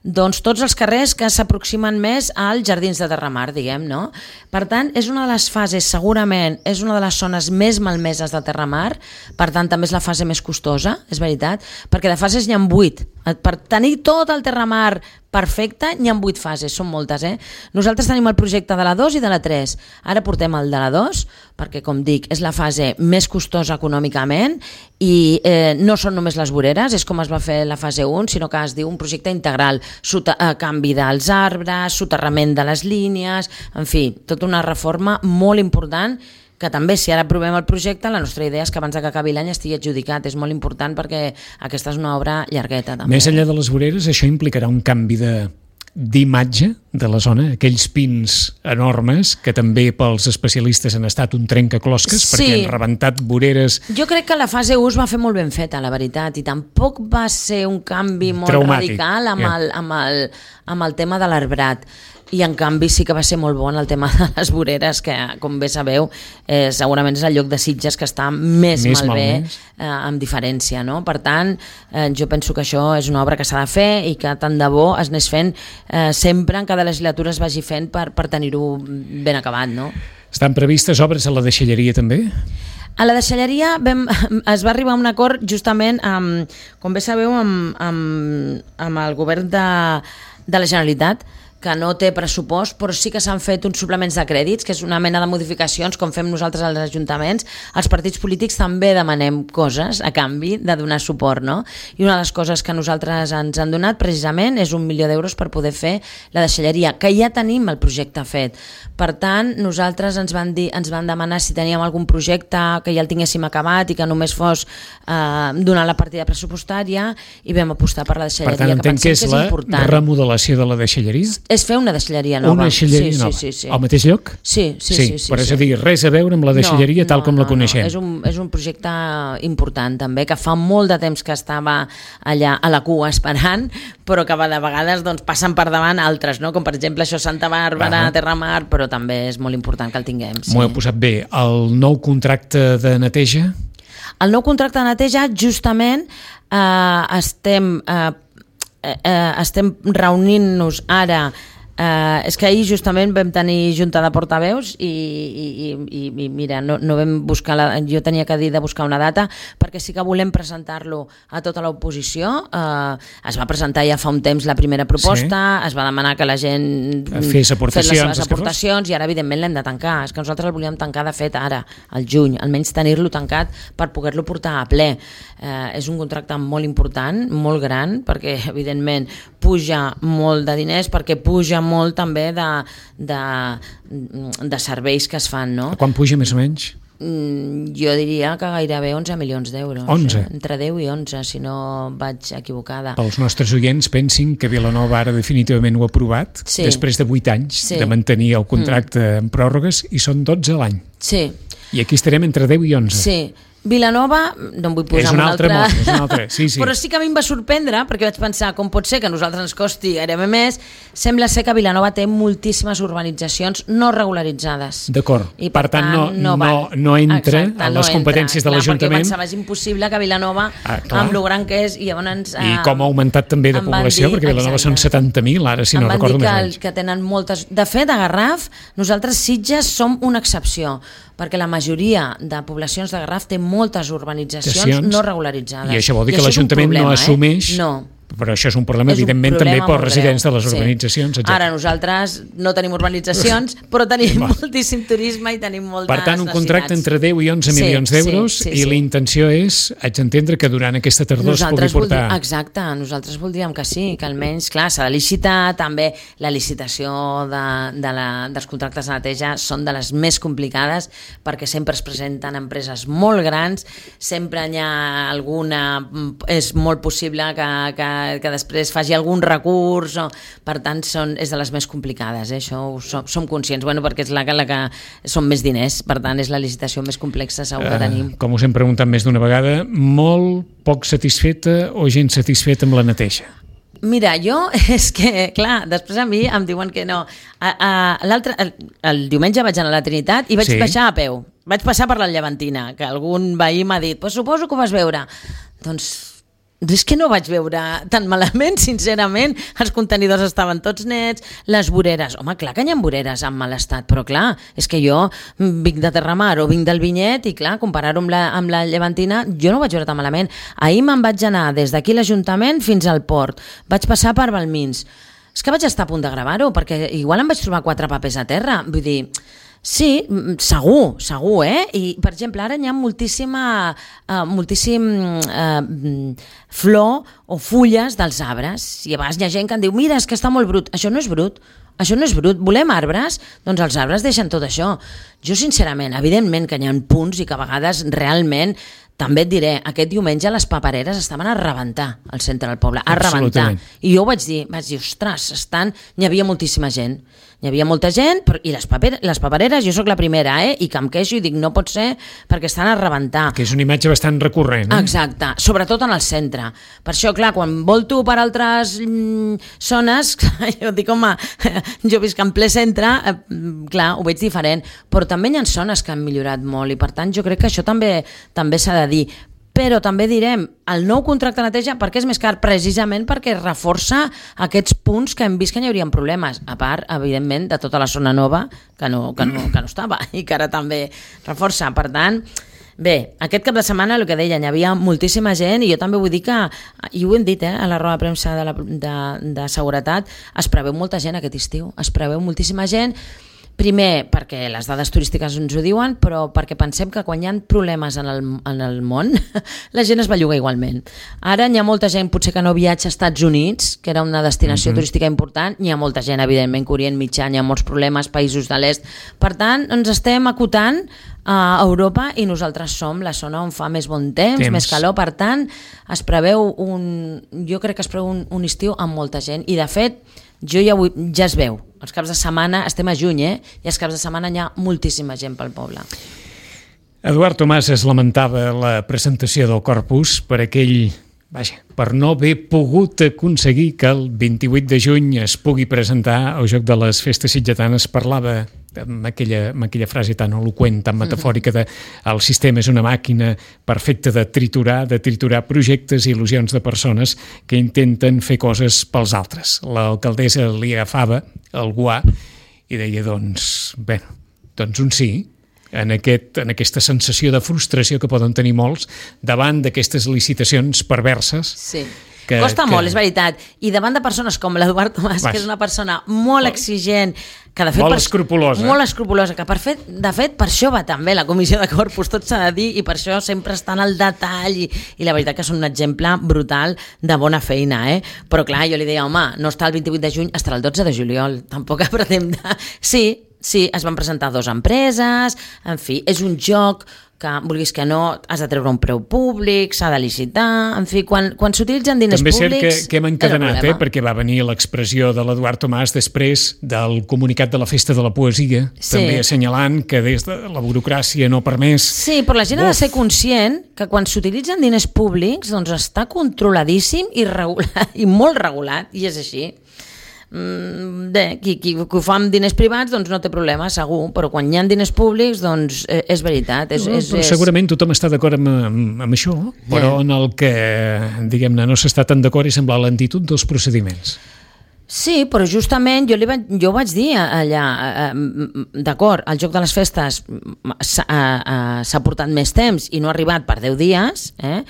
doncs tots els carrers que s'aproximen més als jardins de Terramar, diguem, no? Per tant, és una de les fases, segurament, és una de les zones més malmeses de Terramar, per tant, també és la fase més costosa, és veritat, perquè de fases n'hi ha vuit. Per tenir tot el Terramar perfecte, n'hi ha vuit fases, són moltes, eh? Nosaltres tenim el projecte de la dos i de la tres. Ara portem el de la dos, perquè, com dic, és la fase més costosa econòmicament i eh, no són només les voreres, és com es va fer la fase un, sinó que es diu un projecte integral. Sota, eh, canvi dels arbres, soterrament de les línies, en fi, tota una reforma molt important que també, si ara aprovem el projecte, la nostra idea és que abans que acabi l'any estigui adjudicat. És molt important perquè aquesta és una obra llargueta. També. Més enllà de les voreres, això implicarà un canvi de d'imatge de la zona, aquells pins enormes que també pels especialistes han estat un trencaclosques, sí, perquè han rebentat voreres. Jo crec que la fase u es va fer molt ben feta, la veritat, i tampoc va ser un canvi molt traumàtic, radical amb, yeah. el, amb, el, amb el tema de l'arbrat. i en canvi sí que va ser molt bo en el tema de les voreres, que com bé sabeu eh, segurament és el lloc de Sitges que està més, més malbé eh, amb diferència, no? Per tant, eh, jo penso que això és una obra que s'ha de fer i que tant de bo es anés fent eh, sempre en cada legislatura es vagi fent per, per tenir-ho ben acabat, no? Estan previstes obres a la deixalleria també? A la deixalleria vam, es va arribar a un acord justament amb, com bé sabeu, amb, amb, amb el govern de, de la Generalitat, que no té pressupost, però sí que s'han fet uns suplements de crèdits, que és una mena de modificacions com fem nosaltres als ajuntaments. Els partits polítics també demanem coses a canvi de donar suport, no? I una de les coses que nosaltres ens han donat precisament és un milió d'euros per poder fer la deixalleria, que ja tenim el projecte fet. Per tant, nosaltres ens van dir, ens van demanar si teníem algun projecte que ja el tinguéssim acabat i que només fos eh, donar la partida pressupostària, i vam apostar per la deixalleria. Per tant, entenc que és, que és la important. Remodelació de la deixalleria? És fer una deixalleria nova. Una deixalleria sí, nova. Sí, sí, sí. Al mateix lloc? Sí, sí, sí. sí, sí però sí. és a dir, res a veure amb la deixalleria no, tal no, com no, la coneixem. No. És, un, és un projecte important també, que fa molt de temps que estava allà a la cua esperant, però que de vegades doncs, passen per davant altres, no? Com per exemple això Santa Bàrbara, ah. Terramar, però també és molt important que el tinguem. Sí. M'ho he posat bé. El nou contracte de neteja? El nou contracte de neteja justament eh, estem... Eh, Eh, estem reunint-nos ara Uh, és que ahir justament vam tenir junta de portaveus i, i, i, i mira, no, no vam buscar la, jo tenia que dir de buscar una data perquè sí que volem presentar-lo a tota l'oposició. Uh, es va presentar ja fa un temps la primera proposta, sí. Es va demanar que la gent fes aportacions, fes les seves aportacions i ara evidentment l'hem de tancar. És que nosaltres el volíem tancar de fet ara, al juny, almenys tenir-lo tancat per poder-lo portar a ple. Uh, és un contracte molt important, molt gran, perquè evidentment puja molt de diners, perquè puja molt també de, de, de serveis que es fan, no? Quan puja més o menys? Mm, jo diria que gairebé onze milions d'euros. onze? Eh? Entre deu i onze, si no vaig equivocada. Els nostres oients pensin que Vilanova ara definitivament ho ha aprovat, sí. Després de vuit anys sí. de mantenir el contracte mm. en pròrrogues, i són dotze a l'any. Sí. I aquí estarem entre deu i onze. Sí. Vilanova, no em vull posar és un altre, altre... Món, és un altre. Sí, sí. Però sí que a mi em va sorprendre, perquè vaig pensar com pot ser que a nosaltres ens costi gairebé més. Sembla ser que Vilanova té moltíssimes urbanitzacions no regularitzades. D'acord, per, per tant, tant no, no, no, no entra Exacte, en les no competències entra. de l'Ajuntament. Perquè pensava, és impossible que Vilanova, ah, amb lo gran que és, i llavors... I com ha augmentat també de població, dir, perquè Vilanova exacte. són setanta mil, ara si no recordo més anys. Que tenen moltes... De fet, a Garraf, nosaltres Sitges som una excepció, perquè la majoria de poblacions de Garraf té moltes urbanitzacions no regularitzades. I això vol dir I que l'Ajuntament no assumeix... Eh? No. Però això és un problema, és un evidentment, problema també pels residents de les urbanitzacions. Sí. Ara nosaltres no tenim urbanitzacions, però tenim moltíssim turisme i tenim moltes necessitats. Per tant, un contracte entre deu i onze sí, milions d'euros sí, sí, i sí. l'intenció és, haig d'entendre que durant aquesta tardor nosaltres es pugui portar... Voldríem, exacte, nosaltres voldríem que sí, que almenys, clar, s'ha de licitar, també la licitació de, de la, dels contractes de neteja són de les més complicades perquè sempre es presenten empreses molt grans, sempre hi ha alguna... És molt possible que, que que després faci algun recurs, o, per tant són, és de les més complicades, eh? Això ho som, som conscients, bueno, perquè és la, la que són més diners, per tant és la licitació més complexa segur que tenim. Uh, com us hem preguntat més d'una vegada, molt poc satisfeta o gent satisfeta amb la neteja? Mira, jo és que, clar, després a mi em diuen que no. A, a, l'altre, el, el diumenge vaig anar a la Trinitat i vaig sí. baixar a peu. Vaig passar per la Llevantina, que algun veí m'ha dit, pues suposo que ho vas veure. Doncs és que no vaig veure tan malament, sincerament. Els contenidors estaven tots nets, les voreres, home, clar que hi ha voreres en mal estat, però clar, és que jo vinc de Terramar o vinc del Vinyet i clar, comparar-ho amb la, amb la Llevantina, jo no ho vaig veure tan malament. Ahir me'n vaig anar des d'aquí l'Ajuntament fins al port, vaig passar per Balmins. És que vaig estar a punt de gravar-ho, perquè igual em vaig trobar quatre papers a terra, vull dir... Sí, segur, segur, eh? I, per exemple, ara hi ha moltíssima, uh, moltíssim uh, flor o fulles dels arbres. I a vegades hi ha gent que em diu, mira, és que està molt brut. Això no és brut. Això no és brut. Volem arbres? Doncs els arbres deixen tot això. Jo, sincerament, evidentment que hi ha punts i que a vegades realment també et diré, aquest diumenge les papereres estaven a rebentar al centre del poble, a rebentar. I jo ho vaig dir, vaig dir, ostres, estan... Hi havia moltíssima gent. Hi havia molta gent, però... i les, paper... les papereres, jo sóc la primera, eh? I que em queixo i dic, no pot ser perquè estan a rebentar. Que és una imatge bastant recurrent. Eh? Exacte, sobretot en el centre. Per això, clar, quan volto per altres mm, zones, jo dic, home, jo visc en ple centre, eh, clar, ho veig diferent, però també hi ha zones que han millorat molt i per tant jo crec que això també també s'ha de dir, però també direm el nou contracte de neteja perquè és més car, precisament perquè reforça aquests punts que hem vist que hi haurien problemes, a part, evidentment, de tota la zona nova que no, que no, que no estava i que ara també reforça, per tant bé, aquest cap de setmana, el que deia, hi havia moltíssima gent i jo també vull dir que, i ho hem dit eh, a la roda de premsa de, la, de, de seguretat, es preveu molta gent aquest estiu, es preveu moltíssima gent. Primer, perquè les dades turístiques ens ho diuen, però perquè pensem que quan hi ha problemes en el, en el món, la gent es belluga igualment. Ara hi ha molta gent, potser que no viatja als Estats Units, que era una destinació mm-hmm. turística important, hi ha molta gent, evidentment, que Orient Mitjà, hi ha molts problemes, països de l'est. Per tant, ens estem acotant a Europa i nosaltres som la zona on fa més bon temps, temps. més calor, per tant, es preveu un... jo crec que es preveu un, un estiu amb molta gent, i de fet, jo ja, vull, ja es veu, els caps de setmana, estem a juny, eh? I els caps de setmana hi ha moltíssima gent pel poble. Eduard Tomàs es lamentava la presentació del Corpus per aquell, vaja, per no haver pogut aconseguir que el vint-i-vuit de juny es pugui presentar el Joc de les Festes Sitgetanes. Parlava amb aquella, amb aquella frase tan eloqüent, tan metafòrica de el sistema és una màquina perfecta de triturar, de triturar projectes i il·lusions de persones que intenten fer coses pels altres. L'alcaldessa li agafava el guà i deia, doncs, bé, doncs un sí, en, aquest, en aquesta sensació de frustració que poden tenir molts davant d'aquestes licitacions perverses. Sí. Que, Costa que... molt, és veritat. I davant de persones com l'Eduard Tomàs, Vas. que és una persona molt exigent, que de fet... Molt per... escrupulosa. Molt escrupulosa, que per fet, de fet per això va també la comissió de Corpus, tot s'ha de dir, i per això sempre està en el detall, i, i la veritat que són un exemple brutal de bona feina, eh? Però clar, jo li deia, home, no està el vint-i-vuit de juny, estarà el dotze de juliol, tampoc apretem de... Sí, sí, es van presentar dues empreses, en fi, és un joc que, vulguis que no, has de treure un preu públic, s'ha de licitar, en fi, quan, quan s'utilitzen diners També públics... També és cert que, que hem encadenat, eh, perquè va venir l'expressió de l'Eduard Tomàs després del comunicat de la Festa de la Poesia, sí. també assenyalant que des de la burocràcia no ha permès... Sí, però la gent Uf. ha de ser conscient que quan s'utilitzen diners públics doncs està controladíssim i, regulat, i molt regulat, i és així. Bé, qui, qui, qui ho fa amb diners privats doncs no té problema, segur, però quan hi ha diners públics doncs eh, és veritat és, no, és, és... Segurament tothom està d'acord amb, amb, amb això, però yeah. en el que diguem-ne no s'està tan d'acord és amb la lentitud dels procediments. Sí, però justament jo, li vaig, jo vaig dir allà, eh, d'acord, el Joc de les Festes s'ha, eh, s'ha portat més temps i no ha arribat per deu dies, eh?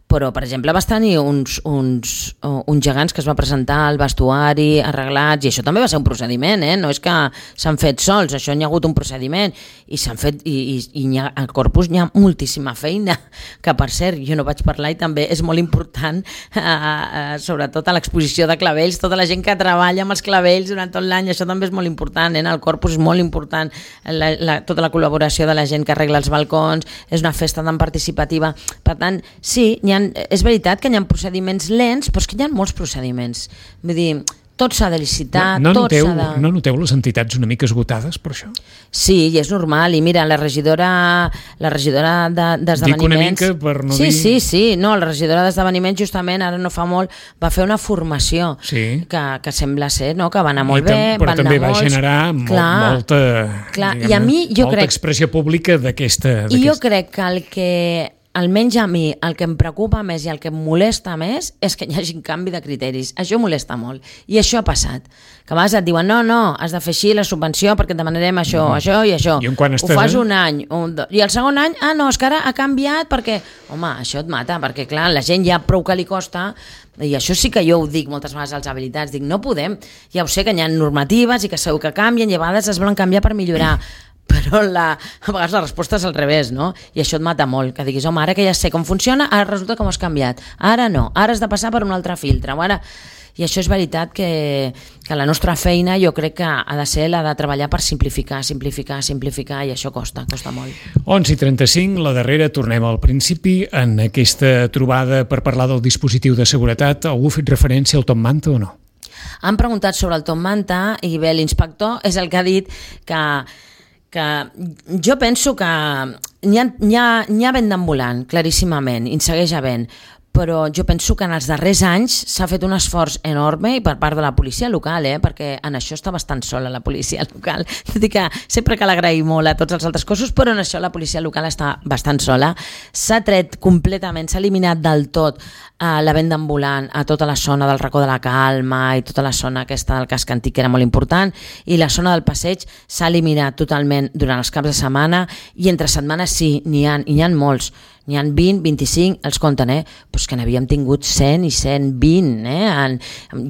Però, per exemple, vas tenir uns, uns, uns gegants que es va presentar al vestuari, arreglats, i això també va ser un procediment, eh? No és que s'han fet sols, això n'hi ha hagut un procediment, i s'han fet, i, i, i hi ha, al Corpus n'hi ha moltíssima feina, que per cert, jo no vaig parlar i també és molt important, eh, eh, sobretot a l'exposició de clavells, tota la gent que treballa amb els clavells durant tot l'any, això també és molt important, eh? El Corpus és molt important, la, la, tota la col·laboració de la gent que arregla els balcons, és una festa tan participativa, per tant, sí, n'hi ha és veritat que hi ha procediments lents, però és que hi ha molts procediments. Vull dir, tot s'ha de licitar, no, no tot noteu, s'ha de... No noteu les entitats una mica esgotades per això? Sí, i és normal, i mira, la regidora la regidora d'esdeveniments... De, Dic una mica per no sí, dir... Sí, sí, no, la regidora d'esdeveniments justament, ara no fa molt, va fer una formació sí. que, que sembla ser no, que va anar molt I bé, però van també anar va molts... generar clar, molta, clar, i a mi, jo molta crec... expressió pública d'aquesta... I jo crec que el que... almenys a mi, el que em preocupa més i el que em molesta més és que hi hagi un canvi de criteris. Això molesta molt. I això ha passat. Que a vegades et diuen, no, no, has de fer així la subvenció perquè et demanarem això, mm. això i això. I quan ho fas un any. Un, I el segon any, ah, no, és que ara ha canviat perquè... Home, això et mata, perquè clar, la gent ja prou que li costa, i això sí que jo ho dic moltes vegades als habilitats, dic, no podem, ja ho sé que hi ha normatives i que segur que canvien i a vegades es volen canviar per millorar. Però la, a vegades la resposta és al revés, no? I això et mata molt, que diguis, home, ara que ja sé com funciona, ara resulta que m'ho has canviat, ara no, ara has de passar per un altre filtre, ara... I això és veritat que, que la nostra feina jo crec que ha de ser la de treballar per simplificar, simplificar, simplificar, i això costa, costa molt. onze i trenta-cinc, la darrera, tornem al principi. En aquesta trobada per parlar del dispositiu de seguretat, algú ha fet referència al Top Manta o no? Han preguntat sobre el Top Manta i bé, l'inspector és el que ha dit que que jo penso que n'hi ha, n'hi ha, n'hi ha vent d'ambulant, claríssimament, i en segueix havent, però jo penso que en els darrers anys s'ha fet un esforç enorme i per part de la policia local, eh? Perquè en això està bastant sola la policia local. Tot i que sempre cal agrair molt a tots els altres cossos, però en això la policia local està bastant sola. S'ha tret completament, s'ha eliminat del tot eh, la venda ambulant a tota la zona del racó de la Calma i tota la zona aquesta del casc antic, que era molt important, i la zona del passeig s'ha eliminat totalment durant els caps de setmana, i entre setmanes sí, n'hi ha, i n'hi ha molts. N'hi ha vint, vint-i-cinc, els compten, eh? Pues que n'havíem tingut cent i cent vint, eh? En,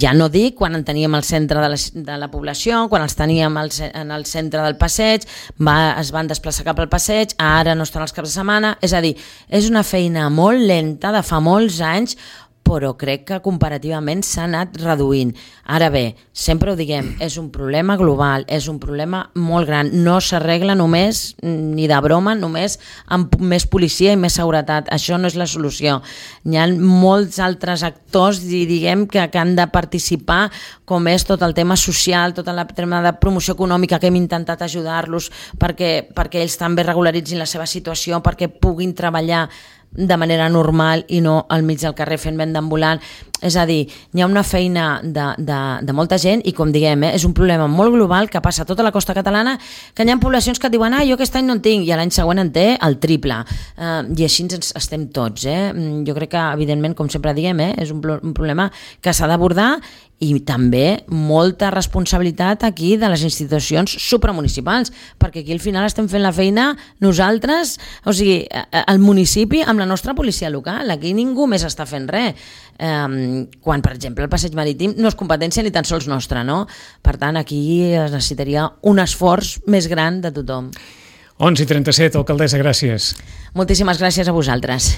ja no dic quan en teníem al centre de la, de la població, quan els teníem al, en el centre del passeig, va, es van desplaçar cap al passeig, ara no estan els caps de setmana, és a dir, és una feina molt lenta de fa molts anys, però crec que comparativament s'ha anat reduint. Ara bé, sempre ho diguem, és un problema global, és un problema molt gran, no s'arregla només, ni de broma, només amb més policia i més seguretat, això no és la solució. Hi ha molts altres actors, diguem, que, que han de participar, com és tot el tema social, tot el tema de promoció econòmica, que hem intentat ajudar-los perquè, perquè ells també regularitzin la seva situació, perquè puguin treballar de manera normal i no al mig del carrer fent venda ambulant. És a dir, hi ha una feina de, de, de molta gent i, com diguem, eh, és un problema molt global que passa a tota la costa catalana, que hi ha poblacions que et diuen ah, jo aquest any no en tinc, i l'any següent en té el triple. Uh, I així ens estem tots. Eh? Jo crec que, evidentment, com sempre diguem, eh, és un, un problema que s'ha d'abordar, i també molta responsabilitat aquí de les institucions supramunicipals, perquè aquí al final estem fent la feina nosaltres, o sigui, el municipi amb la nostra policia local, aquí ningú més està fent res. Um, quan, per exemple, el passeig marítim no és competència ni tan sols nostra, no? Per tant, aquí es necessitaria un esforç més gran de tothom. onze i trenta-set, alcaldessa, gràcies. Moltíssimes gràcies a vosaltres.